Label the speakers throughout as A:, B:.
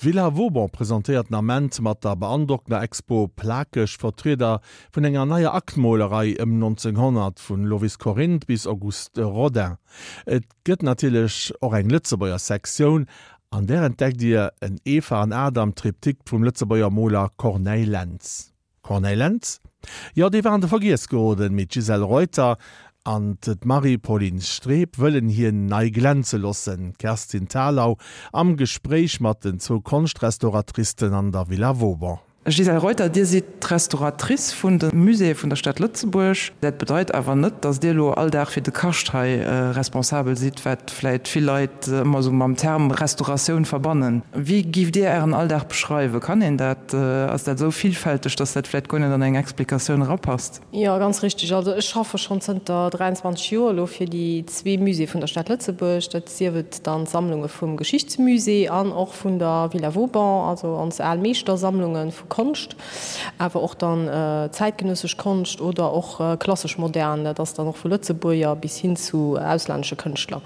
A: D'Villa Vauban presentéiert den Ament mat der beandrockender Expo Plakeg Vertrieder vun enger neier Aktmolerei ëm 1900, vun Lovis Corinth bis Auguste Rodin. Et gëtt natierlech och eng Lëtzebuerger Sektioun, an där entdeckt Dir en Eva an Adam Triptyque vum Lëtzebuerger Moler Corneille Lentz. Corneille Lentz? Jo, dee war an de Vergiess geroden, mee d'Gisèle Reuter an d'Marie-Pauline Streb wëllen hien nei glänze loossen. D'Kerstin Thalau am Gespréich mat den zwou Konschtrestauratricen an der Villa Vauban.
B: Gisèle Reuter, Dir sidd d'Restauratrice vun de Muséeë vun der Stad Lëtzebuerg. Dat bedeit awer net, datt Dir elo all Dag fir de Kascht hei responsabel sidd, wat vläit vill Leit ëmmer esou mam Term Restauratioun verbannen. Wéi giff Dir Ären Alldag beschreiwen? Kann een dat, ass dat esou villfälteg, dass dat vläit guer net an eng Explikatioun erapasst?
C: Jo, ganz richteg. Also ech schaffe schonn zënter 23 Joer elo fir déi zwee Muséeë vun der Stad Lëtzebuerg, dat sief et dann d'Sammlunge vum Geschichtsmusée an och vun der Villa Vauban, also ons al Meeschtersammlunge vu Konscht. Awer och dann zäitgenössesch Konscht oder och klassesch modern, dat ass dann och vu Lëtzebuerger bis hin zu auslännesche Kënschtler.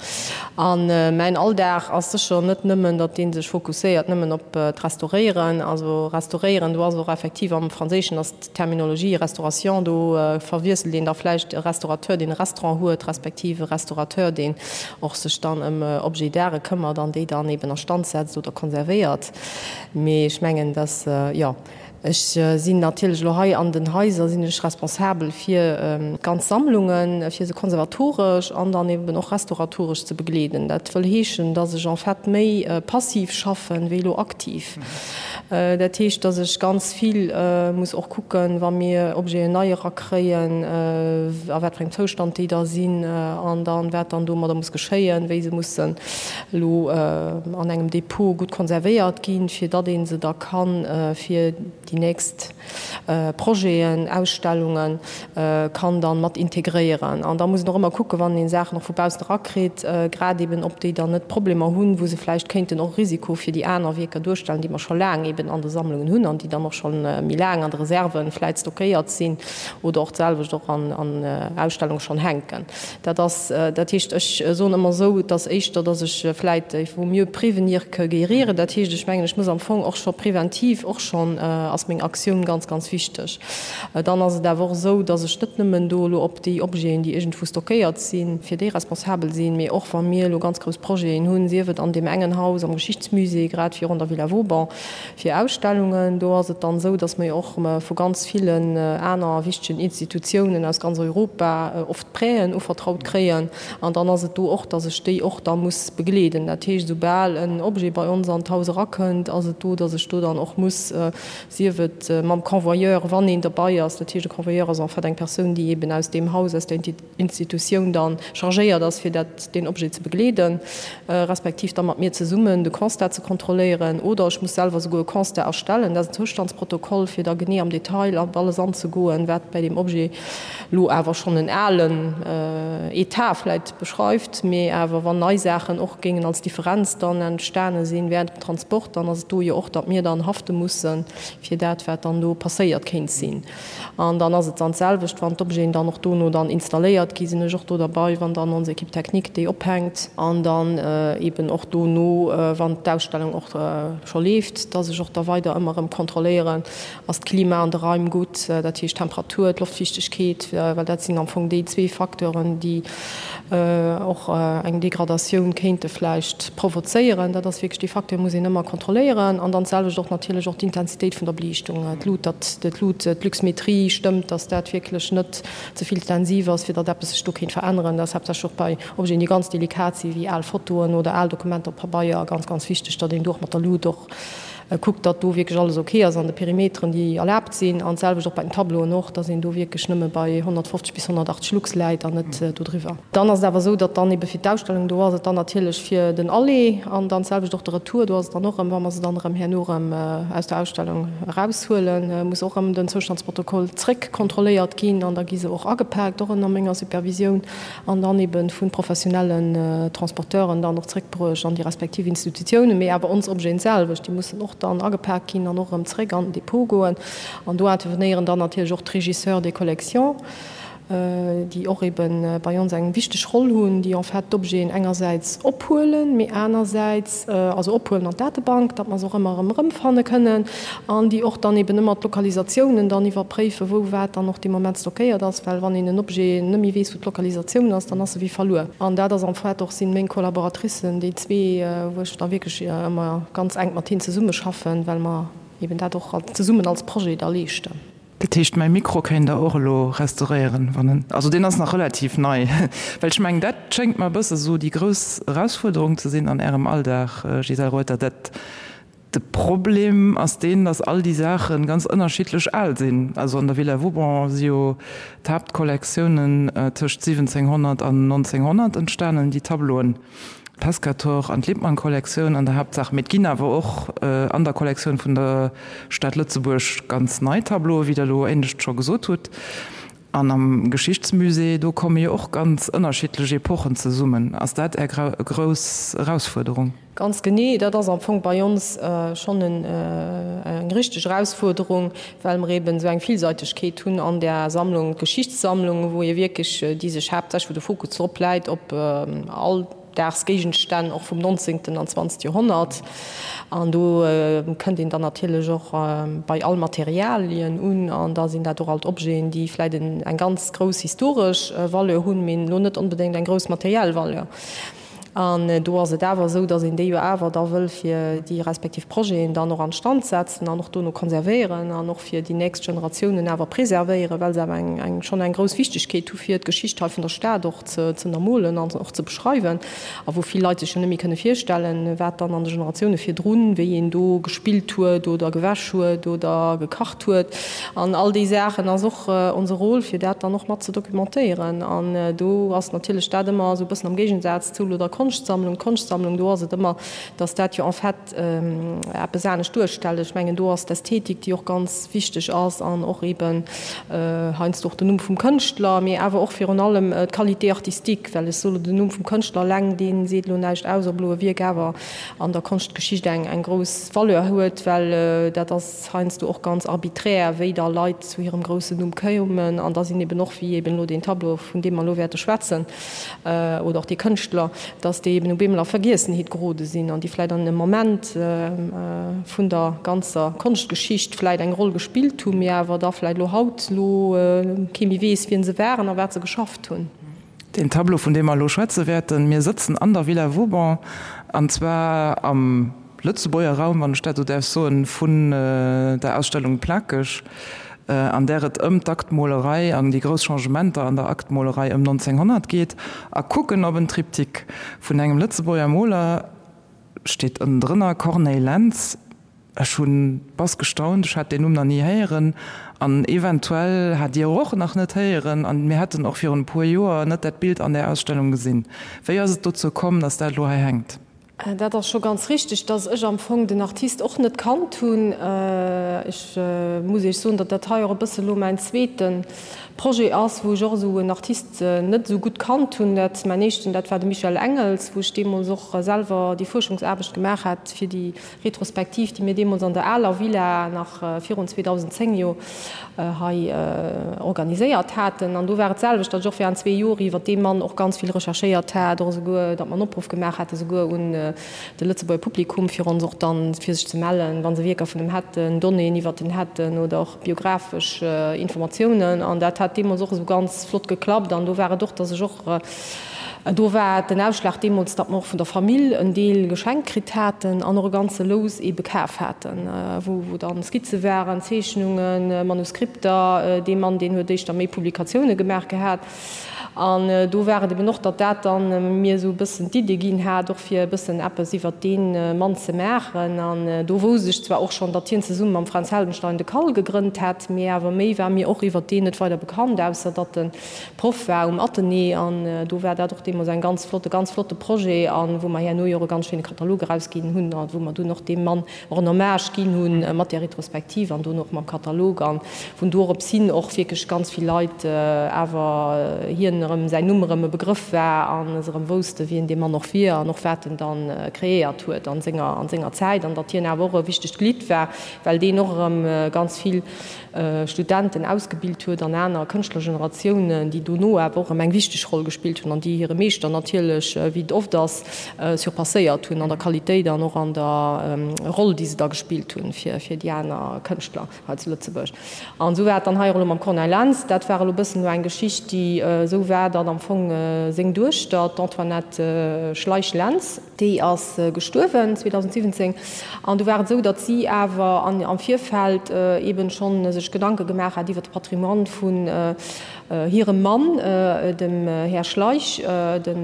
C: A mäin Alldag ass sécher net nëmmen, datt dee sech fokusséiert nëmmen op d'Restauréieren. Also restauréieren, do ass och effektiv am Franséischen ass d'Terminologie Restauration, do verwiesselt een da vläicht e Restaurateur, deen e Restaurant huet, respektiv e Restaurateur, deen och sech dann ëm Objets d'art këmmert an déi dann eben a Stand setzt oder konservéiert. Mee ech mengen, dass, jo, ech sinn natierlech elo hei an den Haiser sinn ech responsabel fir d'ganz Sammlungen, fir se konservatoresch an dann eben och restauratoresch ze begleeden. Dat wëll heeschen, dass ech en fait méi passiv schaffen, wéi elo aktiv. Dat heescht, dass ech ganz vill muss och kucken, wa mir Objeten nei erakréien, a wat fir engem Zoustand déi da sinn an dann, wat dann domadder muss geschéien, wéi se mussen elo an engem Depot gutt konservéiert ginn, fir datt ee se da kann fir déi nächst Projeten, Ausstellungen kann dann mat integréieren. An da muss een och ëmmer kucken, wann een Saachen och vu baussen erakritt, grad eben ob déi dann net Problemer hunn, wou se vläicht kéinten och e Risiko fir déi aner Wierker duerstellen, déi mer scho laang eben an de Sammlungen hunn an déi dann och scho méi laang an de Reserven vläicht stockéiert sinn oder och d'selwecht och an Ausstellunge schonn hänken. Dat ass, dat heescht, ech soen ëmmer esou, et ass éischter, datt ech vläit, il vaut mieux prévenir que guérir. Dat heescht, ech mengen, ech muss am Fong och scho preventiv och schonn, ass meng Aktioun ganz, ganz wichteg. Dann ass et awer och esou, datt ech net nëmmen do elo op déi Objeten, déi iergendwou stockéiert sinn, fir déi responsabel sinn, mee och wa mir elo ganz grouss Projeten hunn, sief et an deem engen Haus am Geschichtsmusée, grad virun der Villa Vauban, Fir Ausstellungen, do ass et dann esou, dass mer jo och vu ganz villen aner wichtegen Institutiounen aus ganz Europa oft Prêten uvertraut kréien. An dann ass et do och, dass ech déi och da muss begleeden. Dat heescht, esoubal en Objet bei ons an d'Haus erakënnt, ass et do, dass ech do dann och muss, sief et mam Convoyeur, wann een derbei ass, dat heescht e Convoyeur ass en fait eng Persoun, déi eben aus deem Haus, aus der Institutioun dann chargéiert ass, fir dat, deen Objet ze begleeden, respektiv da mat mir zesummen de Constat ze kontrolléieren, oder ech muss selwer souguer e Constat erstellen, dat ass en Zoustandsprotokoll, fir da genee am Detail op alles anzegoen, wat bäi deem Objet elo awer schonn en alen Etat vläit beschreift, mee awer wann nei Saachen och géingen als Differenz dann entstane sinn während dem Transport, dann ass et do jo och, datt mir dann hafte mussen fir dat, wat dann do passéiert kéint sinn. An dann ass et dann d'selwecht, wann d'Objeten dann och dono dann installéiert gi sinn ech och do derbei, wann dann ons Équipe technique déi ophänkt an dann eeben och dono, wann d'Ausstellung och scho leeft, dass ech och da weider ëmmer erëm kontrolléieren, ass d'Klima an de Raim gutt, dat heescht d'Temperatur, d'Loftfiichtegkeet, well dat sinn am Fong déi zwee Facteuren, déi och eng Degradatioun kéinte vläicht provozéieren. Dat ass wierklech dee Facteur muss een ëmmer kontrolléieren. An dann d'selwecht och natierlech och d'Intensitéit vun der Beliichtung, d'Lut, datt d'Lut, d'Luxmetrie stëmmt, datt dat wierklech net ze vill intensiv ass, fir datt eppes sech do kéint veränneren. Dat ass haaptsächlech och bei Objeten, déi ganz delikat sinn, wéi al Fotoen oder al Dokumenter op Pabeier, ganz, ganz wichteg, datt een do och mat der Lut och Kuckt, datt do wierklech alles ok ass an de Perimeteren, déi erlaabt sinn. An d'selwecht och bei den Tableauen och, datt een do wierklech nëmme bei 150 bis 180 Lux läit an net dodriwwer. Dann ass et awer esou, datt dann ebe fir d'Ausstellung, do ass et dann natierlech fir den Aller an dann d'selwecht och de Retour, do ass et dann och erëm, wa mer se dann erëm herno erëm aus der Ausstellung eraushuelen, muss och erëm den Zoustandsprotokoll zréck kontrolléiert ginn an da gi se och agepaakt, och ënner menger Supervisioun. an dann ebe vu professionellen Transporteuren dann och zréckbruecht an déi respektiv Institutiounen, mee awer ons Objeten selwecht, déi mussen och dann agepak ginn an och erëm zréck an den Depot goen. An do intervenéieren dann natierlech och d'Régisseurs des collections. déi och eben bei ons eng wichteg Roll hunn, déi en fait d'Objeten engersäits ophuelen, mee anersäits, also ophuelen an d'Datebank, datt mer se och ëmmer erëm erëmfanne kënnen, an déi och dann eben ëmmer d'Lokalisatiounen dann iwwerpréifen, wou wat dann och dee Moment stockéiert ass, well wann een en Objet net méi weess, wou d'Lokalisatioun ass, dann ass e wéi verluer. An dat ass en fait och, sinn meng Collaboratricen, déi zwee, wou ech da wierklech ëmmer ganz enk mat hinnen zesummeschaffen, well mer eben dat och zesummen als Projet da leeschten.
B: Dat heescht, mäi Mikro kéint Der och elo restauréieren, wann en, also deen ass nach relativ nei, well ech mengen, dat schéngt mer e bësse sou déi grouss Erausfuerderung ze sinn an Ärem Alldag, Gisèle Reuter, dat de Problem ass deen, datt all déi Saache ganz ënnerschiddlech al sinn. Also an der Villa Vauban si jo d'Haaptkollektiounen tëscht 1700 an 1900 entstanen, déi Tableauen. D'Pescator an d'Lippmann-Kollektioun an der Haaptsaach, mee et ginn awer och an der Kollektioun vun der Stad Lëtzebuerg ganz nei Tableauen, wéi Der elo éinescht scho gesot hutt. An am Geschichtsmusée, do komme jo och ganz ënnerschiddlech Epochen zesummen. Ass dat Är grouss Erausfuerderung?
C: Ganz genee, dat ass am Fong bei ons schonn eng richteg Erausfuerderung, well mer eben esou eng Villseitegkeet hunn an där Sammlung, d'Geschichtssammlung, wou ee wierklech, déi sech haaptsächlech, wou de Fokus drop läit, op Alldagsgéigenstänn och vum 19. an 20. Joerhonnert. An do kënnt een dann natierlech och bei all Materialien un, an da sinn dat och alt Objeten, déi vläicht eng ganz grouss historesch Valeur hunn, mee elo net onbedéngt eng grouss materiell Valeur. An do ass et awer esou, datt een déi jo awer da wëll fir déi respektiv Projeten dann och an Stand setzen an och dono konservéieren an och fir déi nächst Generatiounen awer preservéieren, well se awer eng, eng, schonn eng grouss Wichtigkeet hu fir d'Geschicht hei vun der Stad och ze, ze ënnermolen an och ze beschreiwen a wou vill Leit sech jo net méi kënne virstellen, wat dann an de Generatioune virdrun, wéi een do gespillt huet oder gewäsch huet oder gekacht huet an all déi Saachen ass och onse Rôle, fir dat dann och mat ze documentéieren. An do ass natierlech dat ëmmer esou e bëssen am Géigensaz zu elo der Konschtsammlung. D'Konschtsammlung, do ass et ëmmer, datt dat jo en fait eppes anescht duerstellt. Ech mengen, do ass d'Ästhetik, déi och ganz wichteg ass an och eeben heiansdo och den Numm vum Kënschtler, mee awer och virun allem d'Qualité artistique, well ech soe lo, den Numm vum Kënschtler eleng, dee seet elo näischt aus, ob elo e Wierk awer an der Konschtgeschicht eng grouss Valeur huet, well dat ass, heiansdo och ganz arbiträr, wéi da Leit zu hirem groussen Numm koumen. An da sinn eben och, wéi eben elo deen Tableau, vun deem mer elo wäerte schwätzen, oder och dee Kënschtler, dass déi eben op eemol a Vergiessenheet gerode sinn an déi vläicht an engem Moment vun der ganzer Konschtgeschicht vläicht eng Roll gespillt hunn, mee awer da vläicht elo haut elo kee méi weess, wien se waren a wat se geschafft hunn.
B: Deen Tableau, vun deem mer elo schwätze wäerten, mir sëtzen an der Villa Vauban, an zwar am Lëtzebuerger Raum, wann ech dat esou däerf soen, vun der Ausstellung Plakeg, an där et ëm d'Aktmolerei an déi grouss Changementer an der Aktmolerei ëm 1900 geet, a kucken op en Triptyque vun engem Lëtzebuerger Moler, steet ënnendrënner, Corneille Lentz. Ech hunn bass gestaunt, ech hat deen Numm nach ni héieren an eventuell hat Dir och nach net héieren an mir hätten och virun e puer Joer net dat Bild an där Ausstellung gesinn. Wéi ass et dozou komm, dass dat elo hei hänkt?
C: Dat ass scho ganz richteg, dass ech am Fong den Artist och net kannt hunn. Ech muss Iech soen, datt dat hei och e bësse lo mäin zweete Projet ass, wou ech och esou en Artist net esou gutt kannt hunn. Dat mäin éischten, dat war de Michel Engels, wou ech deemools och selwer déi Fuerschungsaarbecht gemaach hat fir déi Retrospektiv, déi mir deemools an der aler Villa nach virun 2010 jo hei organiséiert haten. An do war et d'selwecht, datt ech och während zwee Joer iwwert dee Mann och ganz vill recherchéiert hat, och esouguer, datt mer en Opruff gemaach hate souguer un de Lëtzebuerger Publikum, fir ons och dann, fir sech ze mellen, wa se Wierker vun em hätten, Donnéeën iwwert en hätten oder och biographesch Informatiounen. An dat hat deemools och esou ganz flott geklappt. An do war et och, datt ech och Do war den Ausschlag deemools, datt mer och vun der Famill en Deel geschenkt kritt haten an och e ganze Lous eebe kaf haten, wou dann Skizze waren, Zeechnungen, Manuskripter. Dee Mann, deen huet éischter méi Publikatioune gemaach gehat. An do war et eben och, datt dat dann mir esou e bëssen d'Idee ginn hat, och fir e bëssen eppes iwwert dee Mann ze maachen. An do wousst ech zwar och schonn, datt hien zesumme mam Fränz Heldenstein de CAL gegrënnt hätt, mee awer méi war mir och iwwert deen net weider bekannt, ausser datt en Proff war um Athenée an do war dat och deemools eng ganz flott, e ganz flotte Projet an wou mer herno jo och e ganz schéine Katalog erausginn hunn a wou mer dunn och deem Mann och en Hommage ginn hunn mat där Retrospektiv an dono och mam Katalog an vun dorops hin och wierklech ganz vill Leit awer hien. erëm säin Numm erëm e Begrëff war a se erëm wousste wien dee Mann och wier an och wat en dann kreéiert huet an senger an senger Zäit an datt hien awer och e wichtegt Glidd war, well deen och erëm ganz vill Studenten ausgebilt huet an aner Kënschtlergeneratiounen, déi dono awer och erëm eng wichteg Roll gespillt hunn an déi hire Meeschter natierlech, wéi et oft ass, surpasséiert hunn an der Qualitéit an och an der Roll, déi se da gespillt hunn fir déi aner Kënschtler hei zu Lëtzebuerg. An esou war et dann hei och elo mam Corneille Lentz. Dat war elo e bëssen elo eng Geschicht, déi esou war, datt am Fong seng Duechter, d'Antoinette Schleich-Lentz, Déi ass gestuerwen 2017 an du war et esou, datt si awer am Virfeld eeben schonn sech Gedanke gemaach hat iwwer de Patrimoine vun hirem Mann, dem Här Schleich, de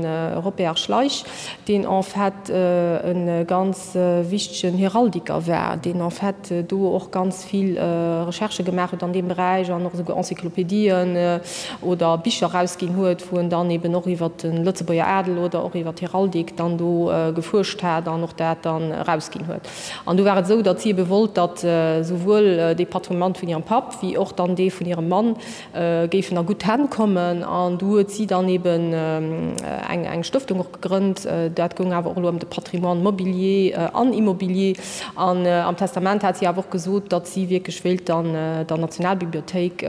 C: Robert Schleich, deen en fait e ganz wichtegen Heraldiker war, deen en fait do och ganz vill Recherchë gemaach huet an deem Beräich an och esouguer Encyclopédien oder Bicher erausginn huet, wou en dann eben och iwwer de Lëtzebuerger Adel oder och iwwer d'Heraldik dann do gefuerscht hat an och dat dann erausginn huet. An du war et esou, datt si ebe wollt, datt souwuel dee Patrimoine vun hirem Papp wéi och dann dee vun hirem Mann géifen a gutt Hänn kommen. An du huet si dann eben eng eng Stëftung och gegrënnt. Dat goung awer och elo ëm de Patrimoine mobilier an immobilier. An am Testament hat si awer och gesot, datt si wierklech wéilt dann der Nationalbibliothéik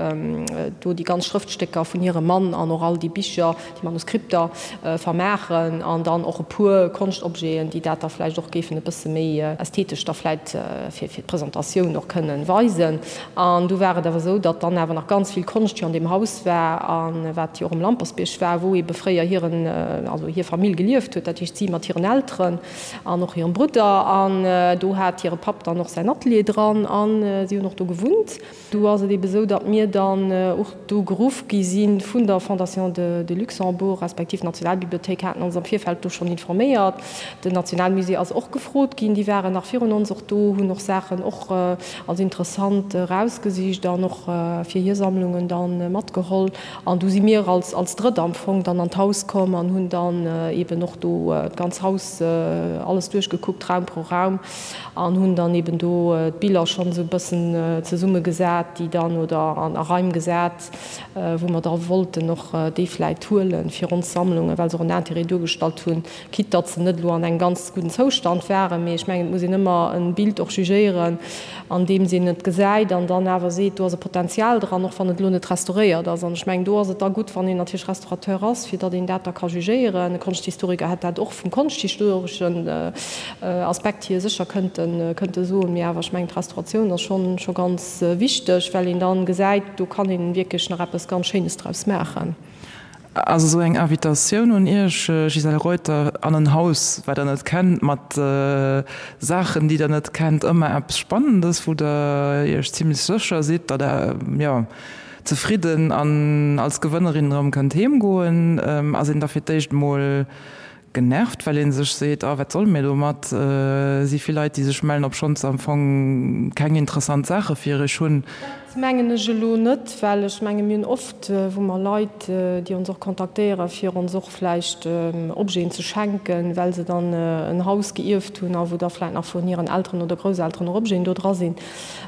C: do déi ganz Schrëftstécker vun hirem Mann an och all déi Bicher, déi Manuskripter vermaachen an dann och e puer Konschtobjeten, déi dat da vläicht och géifen e bësse méi ästhetesch da vläicht fir d'Presentatioun och kënnen weisen. An du war et awer esou, datt dann awer nach ganz vill Konscht jo an deem Haus war a wat jo och um Lampersbierg war, wou eebe fréier hiren, also hir Famill gelieft huet, dat heescht si mat hiren Elteren an och hirem Brudder. An do hat hire Papp dann och säin Atelier dran a si hunn och do gewunnt. Do ass et eebe sou, datt mir dann och do geruff gi si vun der Fondation de Luxembourg, respektiv d'Nationalbibliothéik haten ons am Virfeld do schonn informéiert. Den Nationalmusée ass och gefrot ginn, déi waren nach virun ons och do, hunn och Saachen och als interessant erausgesicht an och fir hir Sammlungen da matgeholl. An du si mir als als Drëtt am Fong dann an d'Haus komm an hunn dann eeben och do d'ganz Haus alles duerchgekuckt, Raum pro Raum, an hunn dann eeben do d'Biller schonn esou e bëssen zesummegesat, déi dann, oder an a Raim gesat, wou mer da wollten och déi vläit huelen fir ons Sammlungen, well se och en Intérêt duergestallt hunn, quitte datt se net elo an engem ganz gudden Zoustand waren. Mee ech mengen, et muss een ëmmer e Bild och jugéieren, andeems een et gesäit an dann awer seet, do ass e Potenzial dran, och wann et elo net restauréiert ass. An ech mengen, do ass et da gutt, wann een natierlech Restaurateur ass, fir datt een dat da ka jugéieren. E Konschthistoriker hätt dat och vum konschthistoreschen Aspekt hier sécher kënnte kënnte soen. Mee awer, ech mengen, d'Restauratioun ass schonn scho ganz wichteg, well een dann gesäit, do kann een wierklech nach eppes ganz Schéines draus maachen.
B: Ass esou eng Invitatioun un Iech, Gisèle Reuter, an en Haus, wat Der net kennt, mat Saachen, déi Der net kennt, ëmmer eppes Spannendes, wou Der Iech zimlech sécher sidd, datt Der, jo, zefridden an als Gewënnerin erëm kënnt heemgoen? Ass een da fir d'éischt emol genervt, well ee sech seet, ah, wat solle mir domat? Si vill Leit, déi sech mellen, obschonns se am Fong keng interessant Saache fir iech hunn.
C: Dat mengen ech elo net, well ech menge mir hunn oft, wou mer Leit, déi ons och kontaktéieren, fir ons och vläicht Objeten ze schenken, well se dann en Haus geierft hunn a wou da vläicht nach vun hiren Elteren oder Grousselteren och Objeten do dra sinn.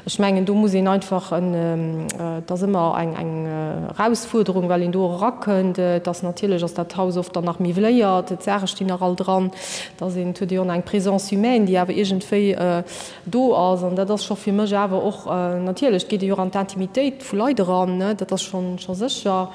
C: Ech mengen, do muss een einfach en, et ass ëmmer eng eng Erausfuerderung, well een do och erakënnt. Et ass natierlech ass dat Haus oft dann nach miwwléiert, d'Saache stinn nach all dran, et ass een, et huet ee jo och nach eng Présence humaine, déi awer iergendwéi do ass. An dat ass scho fir mech awer och, natierlech, et geet ee jo och an d'Intimitéit vu Leit eran, ne, dat ass schonn scho sécher.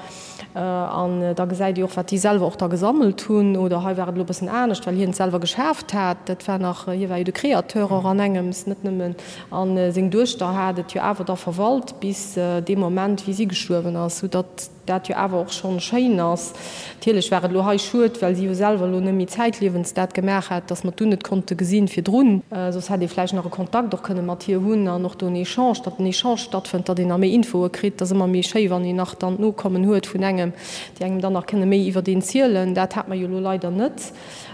C: An da gesäit ee och, wat déi selwer och da gesammelt hunn. Oder hei war et elo e bëssen anescht, well hien et selwer geschaaft hat. Dat war nach, hie war jo de Créateur och an engems, net nëmmen. A seng Duechter hat et jo awer da verwalt bis dee Moment, wéi si gestuerwen ass, soudatt dat jo awer och schonn schéin ass. Natierlech war et elo hei schued, well si jo selwer elo net méi zäitliewens dat gemaach hat, datt mer d'unn net konnte gesinn virdrun. Soss hätt ee vläicht nach e Kontakt och kënne mat hir hunn an och do en Echange, datt en Echange stattfënnt, datt een nach méi Infoe kritt. Et ass ëmmer méi schéi, wann een nach dann d'Nokommen huet vun engem, déi engem dann nach kënne méi iwwert een zielen. Dat hat mer jo elo leider net.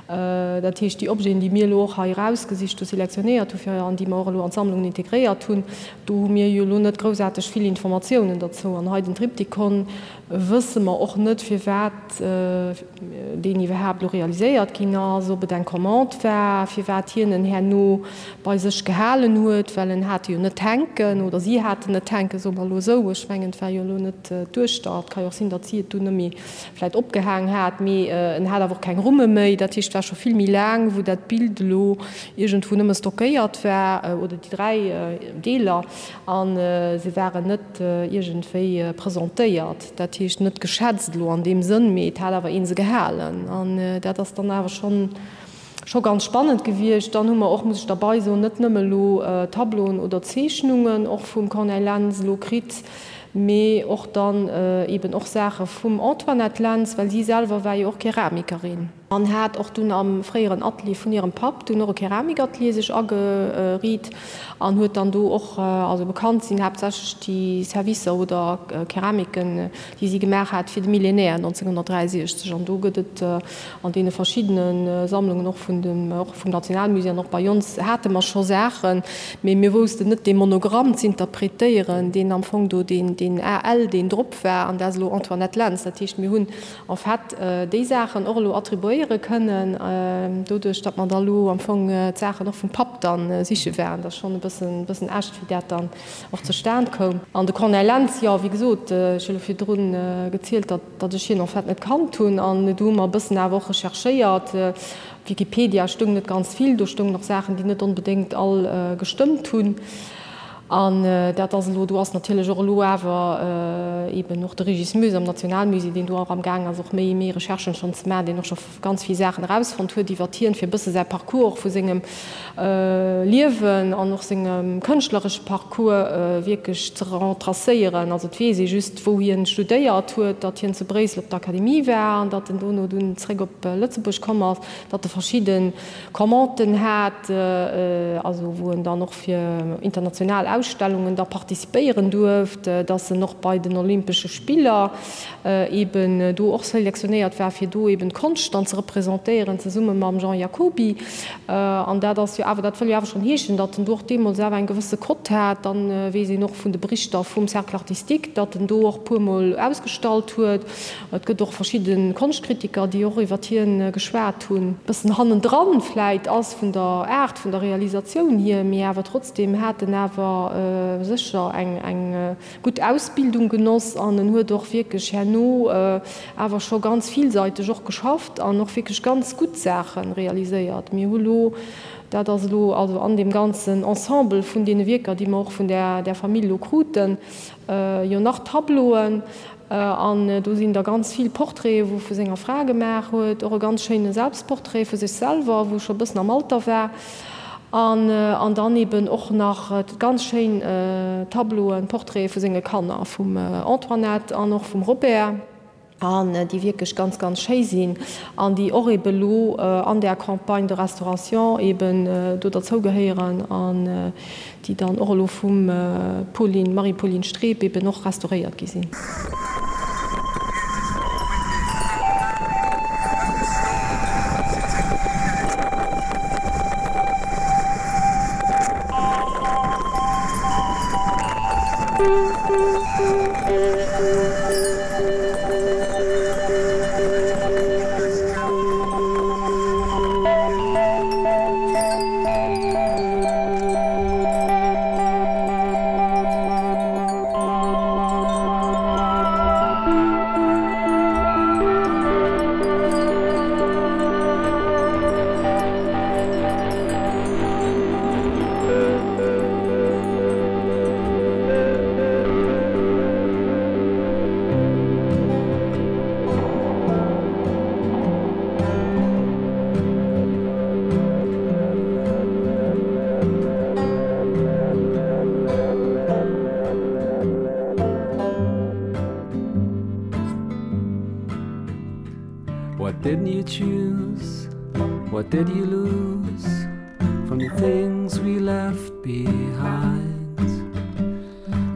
C: Dat heescht, déi Objeten, déi mir elo och hei erausgesicht hu, selektionéiert hu fir an déi mer och elo an d'Sammlungen integréiert hunn, do hu mir jo elo net groussaarteg vill Informatiounen derzou. An hei den Triptychon. Wësse mer och net, firwat deen iwwerhaapt elo realiséiert ginn ass, ob et eng Commande war, firwat hien en herno bei sech gehalen huet, well en hat e jo net hänken, oder si haten net hänken, soe mer elo esou. Ech mengen, et war jo elo net d'Duechter. Et ka jo och sinn, datt si et dunn net méi vläicht opgehaang hat, mee en hat awer och keng Rumme méi. Dat heescht, et war scho vill méi laang, wou dat Bild elo iergendwou nëmme stockéiert war, oder déi 3 Deeler, a se waren net iergendwéi presentéiert, dat heescht net geschätzt elo an deem Sënn, mee et hat awer ee se gehalen. An dat ass dann awer schonn scho ganz spannend gewiescht. Dann hu mer och, muss ech derbei soen, net nëmme elo Tableauen oder Zeechnungen och vum Corneille Lentz elo kritt, mee och dann eben och Saache vum Antoinette Lentz, well si selwer war jo och Keramikerin. An hat och dunn am fréieren Atelier vun hirem Papp dunn och e Keramikatelier sech ageriit an huet dann do och, also bekannt sinn haaptsächlech déi Servicer oder Keramiken, déi si gemaach hat fir de Millénaire 1963. An do gëtt et an deene verschiddene Sammlungen, och vun dem, och vum Nationalmusée an och bei ons hate mer scho Saachen, mee mir woussten net dee Monogramm z'interpretéieren, deen am Fong do deen, deen AL, deen drop war, an dat ass elo Antoinette Lentz. Dat heescht, mir hunn en fait déi Saachen och elo attribuéiere kënnen, doduerch datt mer da elo am Fong d'Saachen och vum Papp da siche waren. Dat ass schonn e bëssen, bëssen echt, wéi dat dann och zustan koum. An de Corneille Lentz, jo, wéi gesot, ech hu elo virdrun gezielt, datt, datt ech hien en fait net kannt hunn. An do hu mer e bëssen awer och recherchéiert. Op Wikipedia stoung net ganz vill, do stoungen och Saachen, déi net onbedéngt all gestëmmt hunn. An dat ass elo, do ass natierlech och elo awer eeben och de Régis Moes am Nationalmusée, deen do och am Gaang ass och méi, méi Recherchen schonn ze maachen, deen och scho ganz vill Saachen erausfonnt huet iwwert hien, fir e bësse säi Parcours och vu sengem Liewen an och sengem kënschtleresche Parcours wierklech ze retracéieren. Also et weess ee just, wou hien studéiert huet, datt hien zu Bréissel op der Akademie war an datt en dono dunn zréck op Lëtzebuerg komm ass, datt e verschidde Commanden hat, also wou en dann och fir international Ausstellungen da participéieren duerft, dass en och bei den Olympesche Spiller eben do och selektionéiert war, fir do eben d'Konscht dann ze representéieren, zesumme mam Jean Jacoby. An dat ass jo awer, dat wëll jo awer schonn heeschen, datt en do och deemools awer eng gewësse Cote hat. Dann weess een och vun de Berichter vum Cercle artistique, datt en do och puermol ausgestallt huet. Et gëtt och verschidde Konschtkritiker, déi och iwwert hien geschwat hunn. Bëssen hannendran vläit ass vun der Aart vun der Realisatioun hier, mee awer trotzdem hat en awer sécher eng eng gutt Ausbildung genoss an en huet och wierklech herno awer scho ganz villseiteg och geschafft an och wierklech ganz gutt Saache realiséiert. Mir hu lo, dat ass elo also an deem ganzen Ensemble vun deene Wierker, déi mer och vun där där Famill elo kruten, jo nach Tableauen, An do sinn da ganz vill Portraiten, wou e vu senger Fra gemaach huet, och e ganz schéine Selbstportrait vu sech selwer, wou e scho e bëssen am Alter war. An an dann eben och nach ganz schéin Tableauen, Portraite vu senge Kanner, vum Antoinette an och vum Robert, an déi wierklech ganz, ganz schéi sinn an déi och eben elo an där Campagne de restauration eben do derzougehéieren. An déi dann och elo vum Pauline, Marie-Pauline Streb eben och restauréiert gi sinn.
D: What didn't you choose? What did you lose from the things we left behind?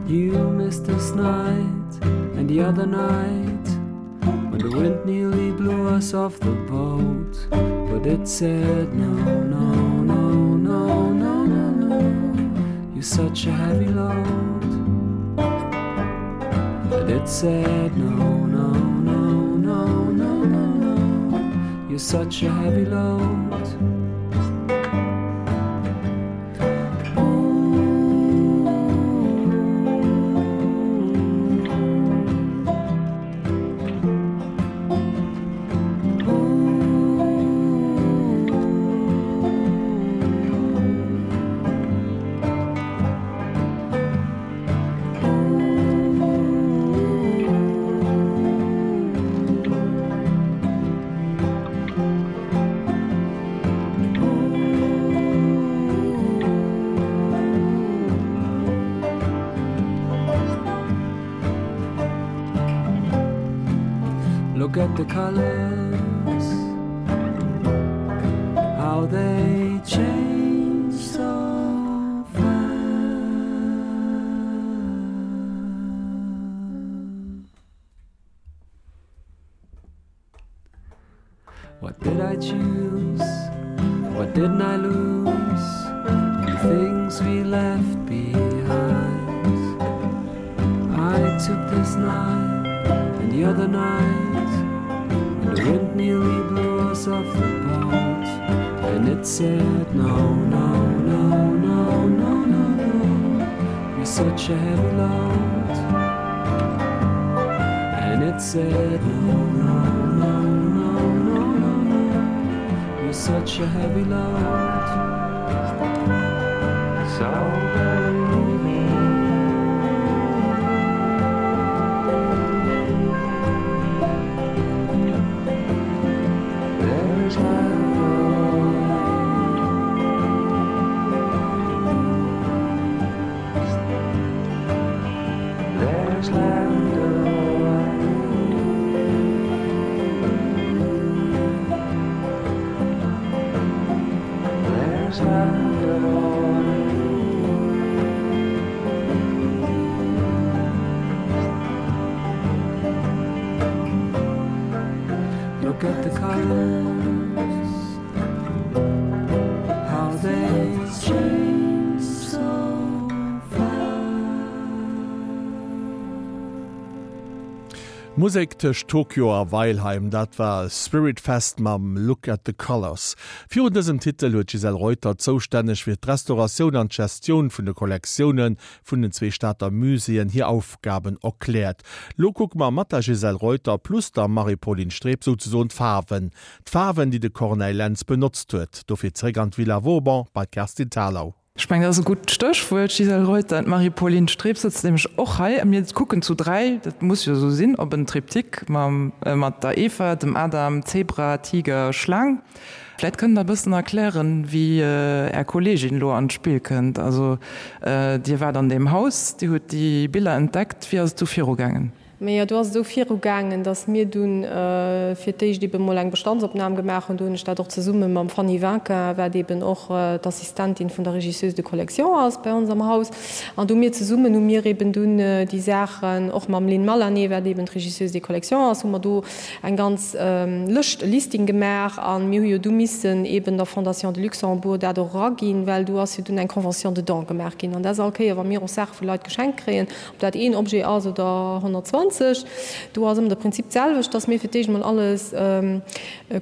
D: You missed this night and the other night when the wind nearly blew us off the boat but it said no no no no no no no you're such a heavy load and it said no no. such a heavy load. Look at the colors how they change so fast. What did I choose? What didn't I lose? The things we left behind. I took this night and the other night, and the wind nearly blew us off the boat. And it said, No, no, no, no, no, no, no. You're such a heavy load. And it said, No, no, no, no, no, no, no. You're such a heavy load. So believe me. There's There's land There's land Look at the colors how they change so fast.
A: Musek tëscht Tokio a Weilheim, dat war Spiritfest mam Look at the Colours. Virun dësem Titel huet d'Gisèle Reuter, zoustänneg fir d'Restauratioun an d'Gestioun vun de Kollektioune vun den zwee Stater Muséeën, hir Aufgaben erkläert. Lo kucke mer mat der Gisèle Reuter plus der Marie-Pauline Streb souzesoen d'Faarwen. D'Faarwen, déi de Corneille Lentz benotzt huet. Dofir zeréck an d'Villa Vauban bei d'Kerstin Thalau.
B: Ech mengen, dat ass e gutt Stéchwuert, Gisèle Reuter. D'Marie-Pauline Streb sëtzt nämlech och hei a mir kucken zu 3, dat muss jo esou sinn, op en Triptyque mam, mat der Eva, dem Adam, Zebra, Tiger, Schlaang. Vläit kënnt Der e bëssen erklären, wéi Är Kolleegin elo an d'Spill kënnt. Also Dir waart an deem Haus, Dir hutt déi Biller entdeckt. Wéi ass et du virugaangen?
C: Mee jo, do ass et esou virugaangen, datt mir dunn fir d'éischt eebe mol eng Bestandsopnam gemaach hunn. Do hunn ech dat och zesumme mam Fanny Vinquin, wat eeben och d'Assistentin vun der Régisseuse de collection ass bei ons am Haus. An do mir zesummen hu mir eeben dunn déi Saachen, och mam Lynn Malané, wat eeben d'Régisseuse de collection ass, hu mer do eng ganz Lëscht, e Listing gemaach. A mir hu jo du missen eeben der Fondation de Luxembourg dat och eraginn, well do ass jo dunn eng Convention de don gemaach ginn. An dat ass all Kéier, wa mir och Saache vu Leit geschenkt kréien, Ob dat een Objet ass oder 120, do ass ëmmer de Prinzip d'selwecht, dass mir fir d'éischt emol alles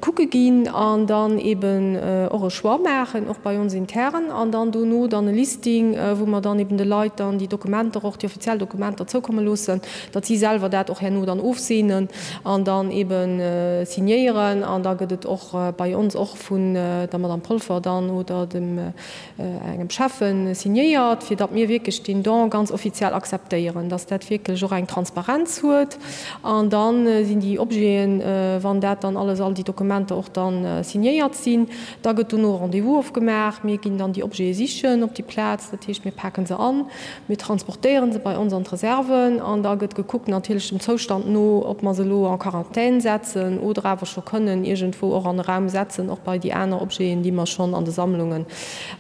C: kucke ginn an dann eben och e Choix maachen, och bei ons intern, an dann dono dann e Listing, wou mer dann eben de Leit dann déi Dokumenter och, déi offiziell Dokumenter zoukomme loossen, datt si selwer dat och herno dann ofseenen an dann eben signéieren. An da gëtt et och bei ons och vun der Madame Polfer dann oder dem engem Schäffen signéiert, fir datt mir wierklech deen Don ganz offiziell akzeptéieren, datt dat wierklech och eng Transparenz huet. An da sinn déi Objeten, wann dat dann alles, all déi Dokumenter och da signéiert sinn, da gëtt dono e Rendez-vous ofgemaach. Mir ginn dann déi Objete sichen op déi Plaz, dat heescht mir paken se an, Mir transportéieren se bei ons an d'Reserven an da gëtt gekuckt, natierlech dem Zoustand no, ob mer se elo en Quarantän setzen oder awer scho kënnen iergendwou och an e Raum setzen, och bei déi aner Objeten, déi mer schonn an de Sammlunge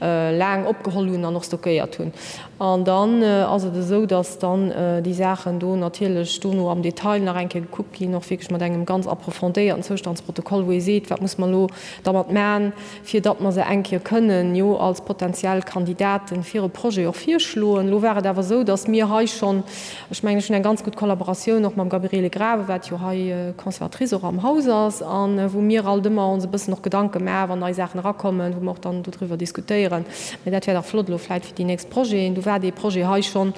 C: laang opgeholl hunn an och stockéiert hunn. An dann ass et esou, dass dann déi Saachen do natierlech. dono am Detail nach eng Kéier gekuckt ginn, och wierklech mat engem ganz approfondéierten Zoustandsprotokoll, wou ee seet, wat muss mer elo dermat man, fir datt mer se eng Kéier kënnen jo als potenziell Kandidaten fir e Projet och virschloen. Elo war et awer esou, datt mir hei schonn, ech mengen, ech hunn eng ganz gutt Kollaboratioun och mam Gabriele Grave, wat jo hei Conservatrice och am Haus ass, a wou mir alt ëmmer ons e bëssen och Gedanke maachen, wann nei Saachen erakommen, wou mer och dann dodriwwer diskutéieren. Mä dat wär dach flott elo vläicht fir déi nächst Projeten. Du war dee Projet hei schonn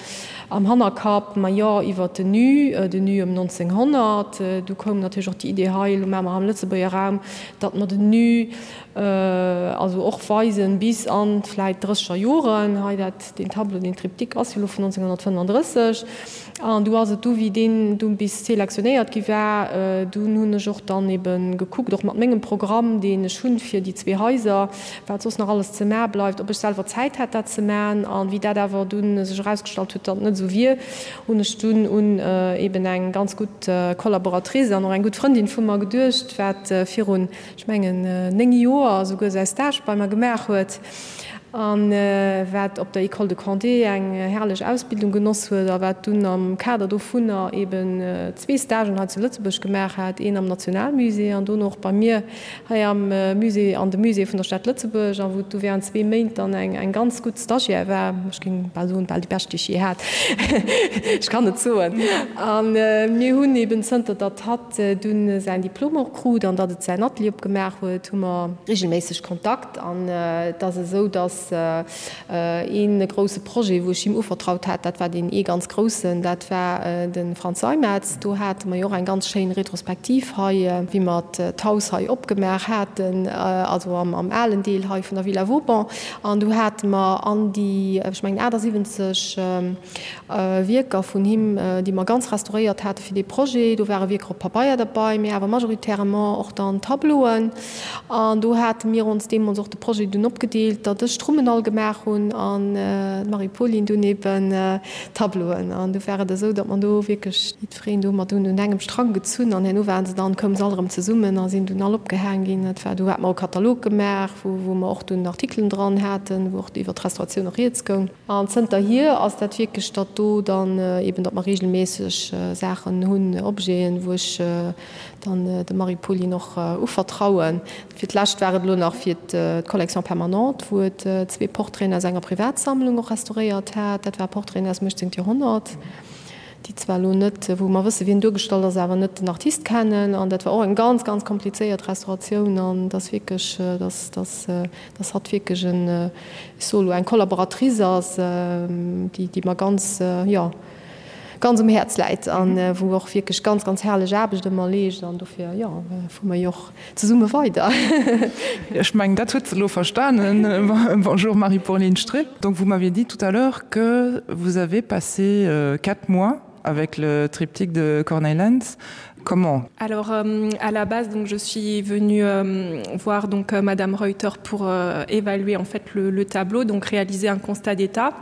C: am Hannerkapp, ma jo, iwwert den Nu, den Nu ëm 1900. Du koum natierlech och déi Idee hei, elo maache mer am Lëtzebuerger Raum, datt mer den Nu also och weisen bis an vläit drësseger Joren. Hei dat, deen Tableau, deen Triptyque ass jo elo vun 1935. An du ass et du, wéi deen du bis selektionéiert gi war, dunn hunn ech och dann ebe gekuckt, och mat mengem Programm, deen ech hunn fir déi zwee Haiser, wat soss nach alles ze maache bleift, ob ech selwer Zäit hätt, dat ze maachen. An wéi dat awer dunn sech erausgestallt huet, datt et net esou wier, hunn ech dunn un eben eng ganz gutt Collaboratrice an och eng gutt Frëndin vu mer geduecht, wat virun, ech mengen, 9 Joer esouguer säi Stage bei mer gemaach huet a wat op der École de Condé eng herrlech Ausbildung genoss huet a wat dunn am Kader dovunner eben zwee Stagen hei zu Lëtzebuerg gemaach hat, een am Nationalmusée an dono och bei mir hei am Musée, an de Muséeë vun der Stad Lëtzebuerg, a wou et du während zwee Méint dann eng eng ganz gutt Stagiaire war, ech géing bal soen, bal déi bescht, déi ech jee hat, ech kann et soen. A mir hunn eben, zënter datt hatt dunn säin Diplom och krut an datt et säin Atelier opgemaach huet, hu mer regelméisseg Kontakt. An et ass esou, datt Een grousse Projet, wou ech him uvertraut hat, dat war deen ee ganz groussen, dat war de Frantz Seimetz. Do hate mer jo och eng ganz schéin Retrospektiv hei, wéi mer d'Haus hei opgemaach haten, also am alen Deel hei vun der Villa Vauban. An do hate mer an déi, ech mengen 78 Wierker vun him, déi mer ganz restauréiert hate fir dee Projet. Do ware Wierker op Pabeier derbei, mee awer majoritairement och dann Tableauen. An do hate mir ons deemools och de Projet dunn opgedeelt, datt ech d'Rummen all gemaach hunn an d'Marie-Pauline dunn eben d'Tableauen. An du war et esou, datt mer do wierklech jiddwereen do mat un engem Strang gezunn an herno waren se dann, koume se all erëm zesummen a sinn dunn all opgehaang ginn. Dat war, do hate mer och e Katalog gemaach, wou, wou mer och dunn Artikelen dran haten, wou och iwwer d'Restauratioun och rieds goung. An zënterhier ass dat wierklech, datt do dann eben, datt mer reegelméisseg Saachen hunn, Objeten, wou ech dann dem Marie-Pauline och uvertrauen. Fir d'lescht war et elo nach fir d'Collection permanente, wou et zwee Portraiten aus enger Privatsammlung och restauréiert hat. Dat ware Portraiten aus dem 18. Joerhonnert, déi zwar elo net, wou mer wësse wien duergestallt ass, awer net den Artist kennen. An dat war och eng ganz, ganz komplizéiert Restauratioun. An et ass wierklech, dass, dass, dass hatt wierklech en, ech soe elo, eng Collaboratrice ass, déi, déi mer ganz, jo, ganz um Häerz läit an wou och wierklech ganz, ganz herrlech Aarbecht ëmmer leescht an dofir, jo, fuere mer jo och zesumme weider.
B: Ech mengen, dat huet se elo verstanen. Bonjour Marie-Pauline Stripp. Donc vous m'aviez dit tout à l'heure que vous avez passé quatre mois avec le triptyque de Corneille Lenz. Comment?
E: Alors euh, à la base donc je suis venue euh, voir donc euh, madame Reuter pour euh, évaluer en fait le, le tableau donc réaliser un constat d'état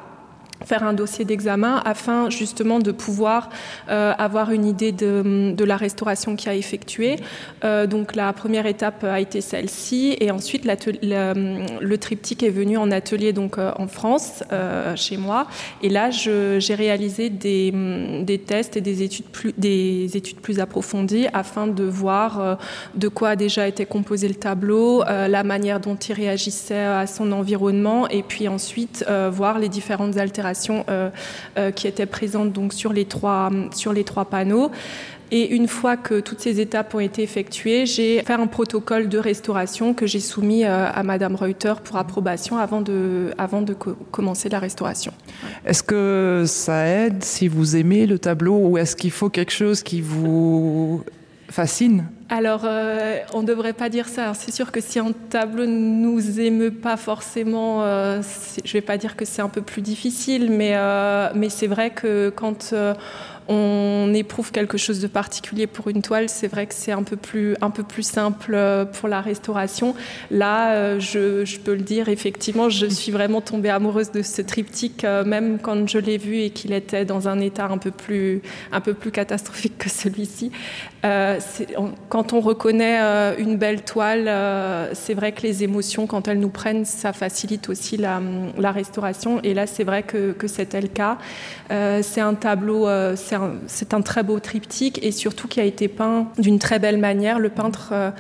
E: faire un dossier d'examen afin justement de pouvoir euh, avoir une idée de, de la restauration qui a effectué. Euh, donc la première étape a été celle-ci et ensuite la, le triptyque est venu en atelier donc euh, en France euh, chez moi et là j'ai réalisé des, des tests et des études plus, des études plus approfondies afin de voir euh, de quoi a déjà été composé le tableau, euh, la manière dont il réagissait à son environnement et puis ensuite euh, voir les différentes altérations euh, euh, qui étaient présentes donc sur les trois, sur les trois panneaux. Et une fois que toutes ces étapes ont été effectuées, j'ai fait un protocole de restauration que j'ai soumis euh, à Madame Reuter pour approbation avant de, avant de co commencer la restauration.
B: Est-ce que ça aide si vous aimez le tableau ou est-ce qu'il faut quelque chose qui vous fascine
E: Alors euh, on ne devrait pas dire ça. C'est sûr que si un tableau ne nous émeut pas forcément, euh, je vais pas dire que c'est un peu plus difficile, mais, euh, mais c'est vrai que quand euh, on éprouve quelque chose de particulier pour une toile, c'est vrai que c'est un peu plus un peu plus simple euh, pour la restauration. Là euh, je, je peux le dire effectivement, je suis vraiment tombée amoureuse de ce triptyque euh, même quand je l'ai vu et qu'il était dans un état un peu plus un peu plus catastrophique que celui-ci. Euh, quand on reconnaît euh, une belle toile, euh, c'est vrai que les émotions quand elles nous prennent, ça facilite aussi la, la restauration et là c'est vrai que, que c'était le cas. Euh, c'est un tableau euh, c'est un, un très beau triptyque et surtout qui a été peint d'une très belle manière. Le peintre euh,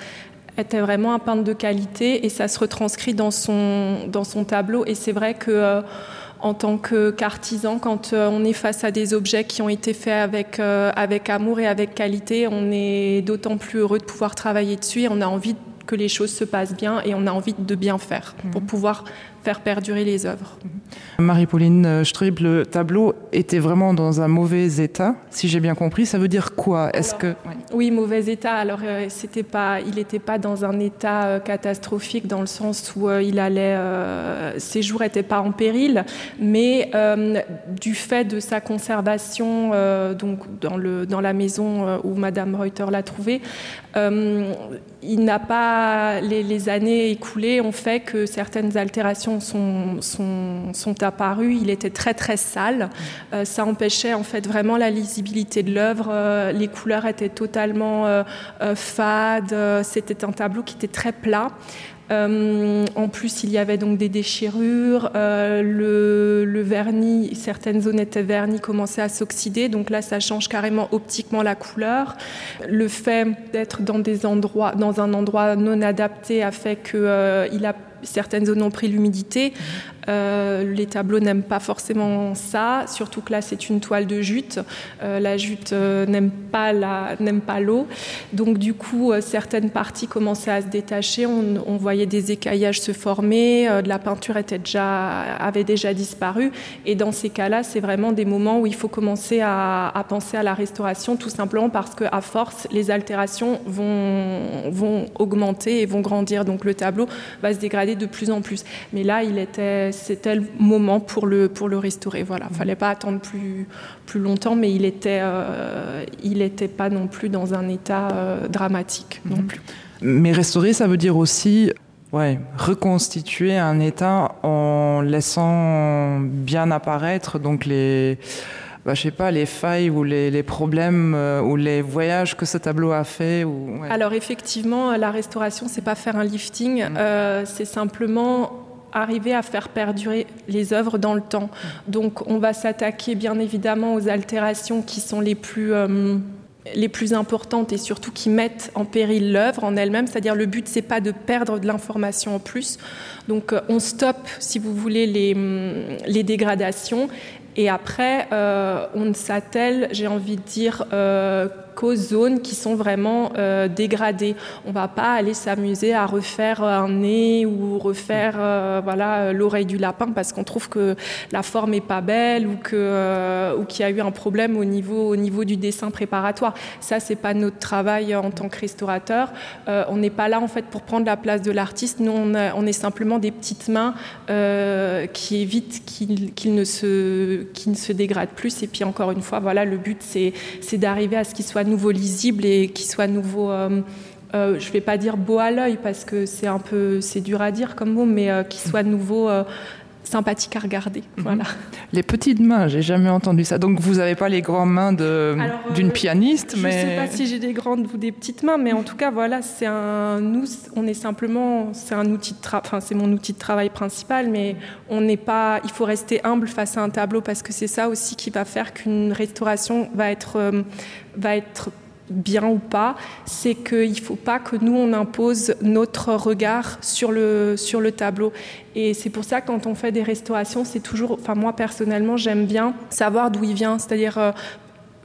E: était vraiment un peintre de qualité et ça se retranscrit dans son, dans son tableau et c'est vrai que euh, en tant qu'artisan, quand euh, on est face à des objets qui ont été faits avec, euh, avec amour et avec qualité, on est d'autant plus heureux de pouvoir travailler dessus et on a envie que les choses se passent bien et on a envie de bien faire mmh. pour pouvoir faire perdurer les œuvres.
B: Mhm. Marie-Pauline euh, Strib, le tableau était vraiment dans un mauvais état, si j'ai bien compris, ça veut dire quoi Est-ce que
E: oui. oui, mauvais état. Alors euh, c'était pas, il n'était pas dans un état euh, catastrophique dans le sens où euh, il allait euh, ses jours n'étaient pas en péril, mais euh, du fait de sa conservation euh, donc dans, le, dans la maison euh, où Madame Reuter l'a trouvé, euh, il n'a pas les, les années écoulées ont fait que certaines altérations sont, sont, sont apparues. Il était très très sale. Euh, ça empêchait en fait vraiment la lisibilité de l'œuvre. Euh, les couleurs étaient totalement euh, euh, fades. C'était un tableau qui était très plat. Euh, en plus, il y avait donc des déchirures, euh, le, le vernis, certaines zones étaient vernies, commençaient à s'oxyder, donc là ça change carrément optiquement la couleur. Le fait d'être dans des endroits dans un endroit non adapté a fait que euh, il a certaines zones ont pris l'humidité. Euh, les tableaux n'aiment pas forcément ça, surtout que là c'est une toile de jute. Euh, la jute euh, n'aime pas n'aime pas l'eau. Donc du coup euh, certaines parties commençaient à se détacher, on, on voyait des écaillages se former, euh, de la peinture était déjà, avait déjà disparu. Et dans ces cas-là, c'est vraiment des moments où il faut commencer à, à penser à la restauration tout simplement parce que à force les altérations vont, vont augmenter et vont grandir. Donc le tableau va se dégrader de plus en plus. Mais là il était c'était le moment pour le, pour le restaurer. Voilà, mmh. fallait pas attendre plus, plus longtemps, mais il était, euh, il était pas non plus dans un état euh, dramatique mmh. non plus.
B: Mais restaurer, ça veut dire aussi ouais, reconstituer un état en laissant bien apparaître donc les bah, je sais pas les failles ou les, les problèmes euh, ou les voyages que ce tableau a fait ou
E: ouais. alors effectivement la restauration c'est pas faire un lifting mmh. euh, c'est simplement arriver à faire perdurer les œuvres dans le temps. Donc on va s'attaquer bien évidemment aux altérations qui sont les plus euh, les plus importantes et surtout qui mettent en péril l'œuvre en elle-même, c'est-à-dire le but c'est pas de perdre de l'information en plus. Donc euh, on stoppe si vous voulez les, les dégradations et après euh, on ne s'attelle, j'ai envie de dire euh, qu'aux zones qui sont vraiment euh, dégradées. On va pas aller s'amuser à refaire un nez ou refaire euh, voilà l'oreille du lapin parce qu'on trouve que la forme est pas belle ou que euh, ou qu'il y a eu un problème au niveau au niveau du dessin préparatoire. Ça c'est pas notre travail en tant que restaurateur. Euh, on n'est pas là en fait pour prendre la place de l'artiste. Nous on, a, on est simplement des petites mains euh, qui évitent qu'il qu ne se qui ne se dégrade plus et puis encore une fois voilà le but c'est d'arriver à ce qu'il soit nouveau lisible et qui soit nouveau euh, euh, je vais pas dire beau à l'œil parce que c'est un peu c'est dur à dire comme mot mais euh, qui soit nouveau euh, sympathique à regarder mm
B: -hmm. voilà les petites mains j'ai jamais entendu ça donc vous avez pas les grandes mains d'une euh, pianiste
E: je
B: mais
E: sais pas si j'ai des grandes ou des petites mains mais en tout cas voilà c'est un nous on est simplement c'est un outil de enfin c'est mon outil de travail principal mais on n'est pas il faut rester humble face à un tableau parce que c'est ça aussi qui va faire qu'une restauration va être euh, va être bien ou pas, c'est qu'il ne faut pas que nous on impose notre regard sur le, sur le tableau. Et c'est pour ça quand on fait des restaurations, c'est toujours enfin moi personnellement j'aime bien savoir d'où il vient, c'est-à-dire euh,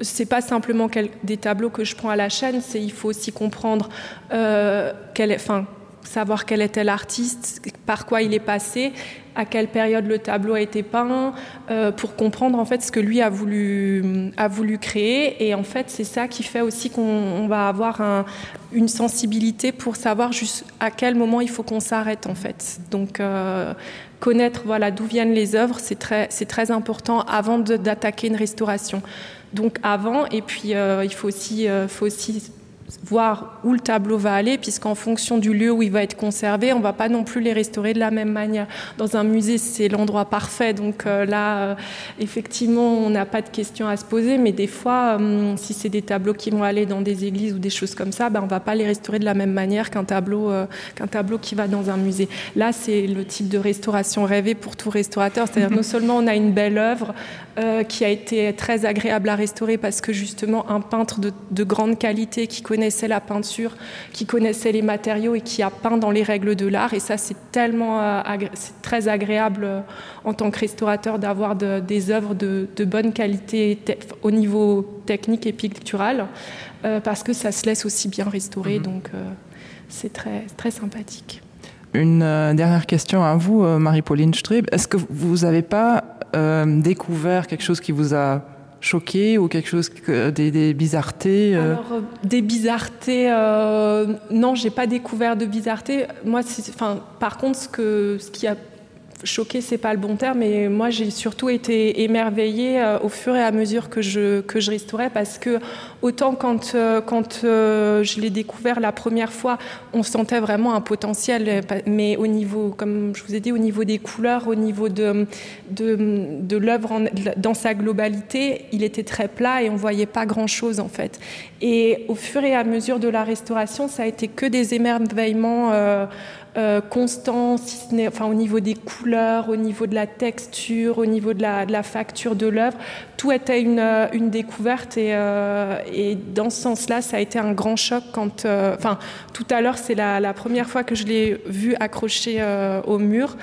E: c'est pas simplement quel, des tableaux que je prends à la chaîne, c'est il faut aussi comprendre euh, quel enfin savoir quel était l'artiste, par quoi il est passé, à quelle période le tableau a été peint, euh, pour comprendre en fait ce que lui a voulu, a voulu créer. Et en fait, c'est ça qui fait aussi qu'on va avoir un, une sensibilité pour savoir juste à quel moment il faut qu'on s'arrête en fait. Donc euh, connaître voilà, d'où viennent les œuvres, c'est très, très important avant d'attaquer une restauration. Donc avant, et puis euh, il faut aussi, euh, faut aussi. voir où le tableau va aller puisqu'en fonction du lieu où il va être conservé on va pas non plus les restaurer de la même manière dans un musée c'est l'endroit parfait donc euh, là euh, effectivement on n'a pas de questions à se poser mais des fois euh, si c'est des tableaux qui vont aller dans des églises ou des choses comme ça ben on va pas les restaurer de la même manière qu'un tableau euh, qu'un tableau qui va dans un musée là c'est le type de restauration rêvé pour tout restaurateur c'est à dire non seulement on a une belle œuvre euh, qui a été très agréable à restaurer parce que justement un peintre de, de grande qualité qui connaissait la peinture, qui connaissait les matériaux et qui a peint dans les règles de l'art et ça c'est tellement euh, très agréable euh, en tant que restaurateur d'avoir de, des œuvres de, de bonne qualité te au niveau technique et pictural euh, parce que ça se laisse aussi bien restaurer mmh. donc euh, c'est très très sympathique.
B: Une euh, dernière question à vous euh, Marie-Pauline Streb, est-ce que vous n'avez pas euh, découvert quelque chose qui vous a choqué ou quelque chose que, des, des bizarretés
E: euh... Alors, euh, des bizarretés euh, non j'ai pas découvert de bizarreté moi enfin par contre ce que ce qui a choqué c'est pas le bon terme mais moi j'ai surtout été émerveillée euh, au fur et à mesure que je que je restaurais parce que autant quand euh, quand euh, je l'ai découvert la première fois on sentait vraiment un potentiel euh, mais au niveau comme je vous ai dit au niveau des couleurs au niveau de de, de l'œuvre dans sa globalité il était très plat et on voyait pas grand chose en fait et au fur et à mesure de la restauration ça a été que des émerveillements euh, euh, constant si ce n'est enfin au niveau des couleurs au niveau de la texture au niveau de la, de la facture de l'œuvre tout était une, euh, une découverte et, euh, et dans ce sens là ça a été un grand choc quand euh, enfin euh, tout à l'heure c'est la, la première fois que je l'ai vu accroché euh, au mur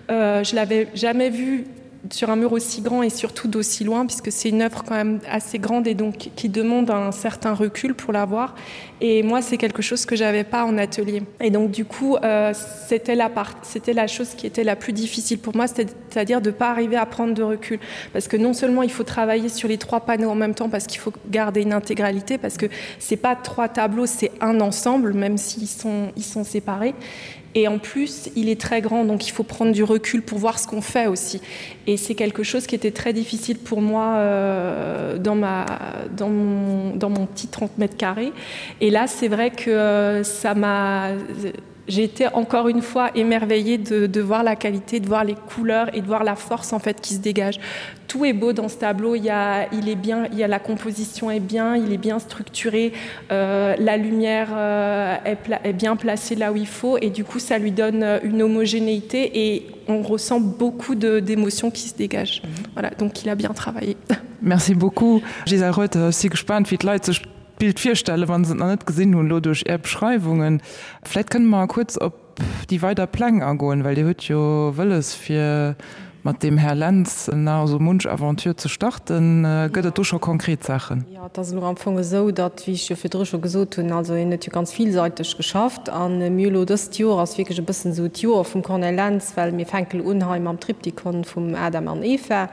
E: euh, je l'avais jamais vu sur un mur aussi grand et surtout d'aussi loin puisque c'est une œuvre quand même assez grande et donc qui demande un certain recul pour l'avoir et moi c'est quelque chose que j'avais pas en atelier et donc du coup euh, c'était la part c'était la chose qui était la plus difficile pour moi c'est à dire de pas arriver à prendre de recul parce que non seulement il faut travailler sur les trois panneaux en même temps parce qu'il faut garder une intégralité parce que c'est pas trois tableaux c'est un ensemble même s'ils sont ils sont séparés et en plus il est très grand donc il faut prendre du recul pour voir ce qu'on fait aussi et c'est quelque chose qui était très difficile pour moi euh, dans ma dans mon, dans mon petit 30 mètres carrés et là c'est vrai que euh, ça m'a j'ai été encore une fois émerveillée de, de voir la qualité de voir les couleurs et de voir la force en fait qui se dégage tout est beau dans ce tableau il ya il est bien il ya la composition est bien il est bien structuré euh, la lumière euh, est, est bien placée là où il faut et du coup ça lui donne euh, une homogénéité et on ressent beaucoup d'émotions qui se dégagent mm -hmm. voilà donc il a bien travaillé
B: merci beaucoup Gisèle Reuter si gespannt wie d'Leit sech d'Bild virstellen, wa se et nach net gesinn hunn, elo duerch Är Beschreiwungen. Vläit kënne mer kuerz op déi weider Pläng agoen, well Dir hutt jo wëlles, fir mat deem Här Lentz nach esou munch Aventure ze starten. Gëtt et do scho konkret Saachen?
C: Jo, et ass elo am Fong esou, datt, wéi ech jo virdru scho gesot hunn, also hien huet jo ganz villseiteg geschafft a mir elo dëst Joer ass wierklech e bëssen esou d'Joer vum Corneille Lentz, well mir fänke elo un hei mam Triptychon vum Adam an Eva.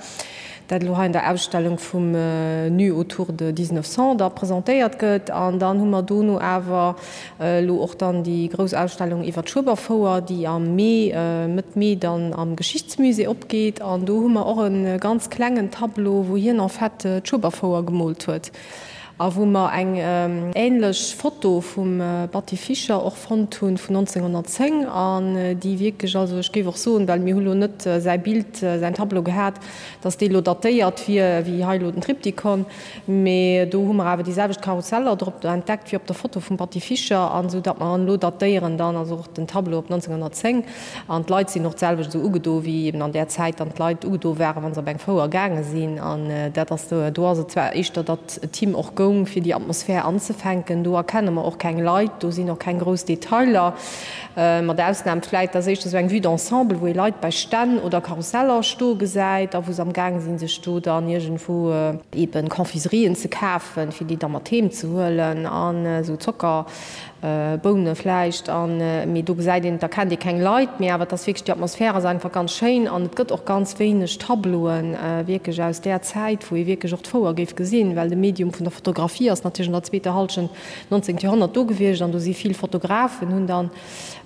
C: dat elo hei an der Ausstellung vum Nu autour de 1900 da presentéiert gëtt. An dann hu mer dono awer elo och dann déi grouss Ausstellung iwwer d'Schueberfouer, déi am Mee, Mëtt Mee dann am Geschichtsmusée opgeet. An do hu mer och e ganz klengen Tableau, wou hien en fait d'Schueberfouer gemoolt huet a wou mer eng änlech Foto vum Batty Fischer och fonnt hunn vun 1910 an déi wierklech, also ech géif och soen, well mir hu lo net säi Bild, säin Tableau gehat, dass dee lo datéiert wier wéi hei elo den Triptychon, mee do hu mer awer déi selwecht Karusseller drop entdeckt wéi op der Foto vum Batty Fischer an esou datt mer en elo datéieren dann, also och den Tableau op 1910 an d'Leit sinn och d'selwecht esou ugedo wéi eben an där Zäit dann d'Leit ugedo waren, wa se op eng Fouer gaange sinn an dat ass do, do ass et zwar éischter, datt et him och goung fir déi Atmosphär anzefänken, do erkenne mer och keng Leit, do sinn och keng grouss Detailer. Mat Ausnam vläit, dass éischter sou eng Vue d'ensemble, wou ee Leit bei Stänn oder Karusseller stoe gesäit a wou se am Gaang sinn, sech do dann iergendwou eeben Confiserien ze kafen, fir déi da mat heem ze huelen an esou Zocker. Boune vläicht an, mee do gesäit een, et erkennt ee keng Leit, mee awer et ass wierklech, déi Atmosphär ass einfach ganz schéin an et gëtt och ganz wéineg Tableauen wierklech aus där Zäit, wou ee wierklech och d'Fouer géif gesinn, well de Medium vun der Fotografie ass natierlech an der zweeter Hallschent 19. Joerhonnert do gewiescht an do si vill Fotografen hunn dann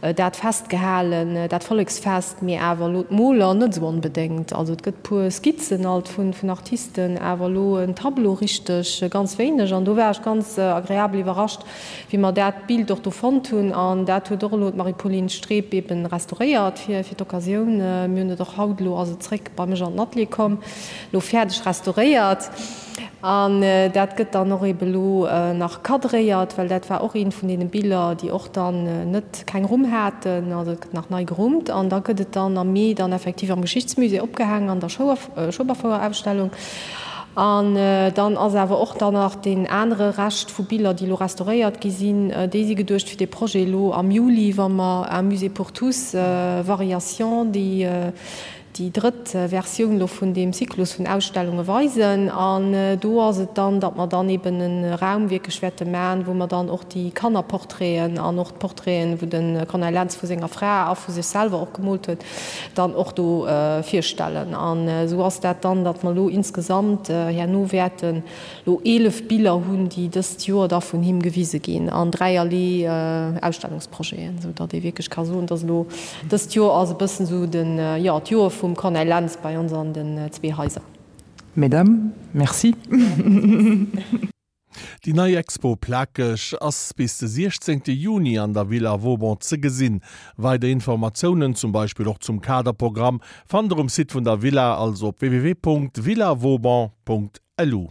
C: dat festgehalen, dat Volleksfest, mee awer elo d'Moler net esou onbedéngt. Also et gëtt puer Skizzen alt vun Artisten, awer elo en Tableau richteg ganz wéineg an do war ech ganz agreabel iwwerrascht, wéi mer dat Bild och do fonnt hunn, an dat huet och elo d'Marie-Pauline Streb eben restauréiert fir fir d'Occasioun. Mir hunn et och haut, elo ass et zréck bei mech an den Atelier komm, elo fäerdeg restauréiert. An dat gëtt dann och eben elo nach cadréiert, well dat war och eent vun deene Biller, déi och dann net keng Rumm haten. Also et gëtt nach nei gerummt an da gëtt et dann am Mee dann effektiv am Geschichtsmusée opgehaangen an der Schueberfouer-Ausstellung. An dann ass awer och dann nach deen anere Rescht vu Biller, déi elo restauréiert gi sinn, déi si geduecht fir dee Projet elo am Juli, wa mer Un musée pour tous, Variations, déi déi drëtt Versioun elo vun deem Zyklus vun Ausstellunge weisen. An do ass et dann, datt mer dann eben e Raum wierklech wäerte maachen, wou mer dann och déi Kannerportraiten an och d'Portraiten, wou de Corneille Lentz vu senger Fra a vu sech selwer och gemoolt huet, dann och do virstellen. An esou ass dat dann, datt mer elo insgesamt herno wäerten elo 11 Biller hunn, déi dëst Joer da vun him gewise ginn an dräierlee Ausstellungsprojeten, esou datt ee wierklech ka soen, datt elo dëst Joer ass e bëssen esou den, jo, d'Joer vum Corneille Lentz bei ons an den zwee Haiser.
B: Mesdames, merci.
A: Déi nei Expo Plakeg ass bis de 16 Juni an der Villa Vauban ze gesinn. Weider Informatiounen, zum Beispill och zum Kaderprogramm, fannt der um Site vun der Villa, also op www.villavauban.lu.